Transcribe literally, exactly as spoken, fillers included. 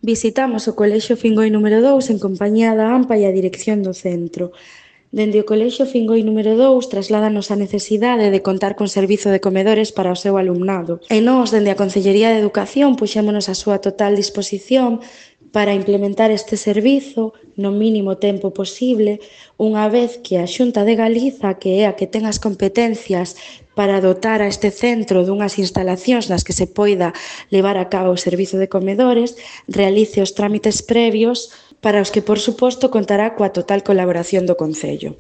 Visitamos o Colexio Fingoi número dous en compañía da AMPA e a dirección do centro. Dende o Colexio Fingoi número dous trasládanos a necesidade de contar con servizo de comedores para o seu alumnado. E nós, dende a Consellería de Educación, puxémonos a súa total disposición para implementar este servizo no mínimo tempo posible, unha vez que a Xunta de Galiza, que é a que ten as competencias para dotar a este centro dunhas instalacións nas que se poida levar a cabo o servizo de comedores, realice os trámites previos para os que, por suposto, contará coa total colaboración do Concello.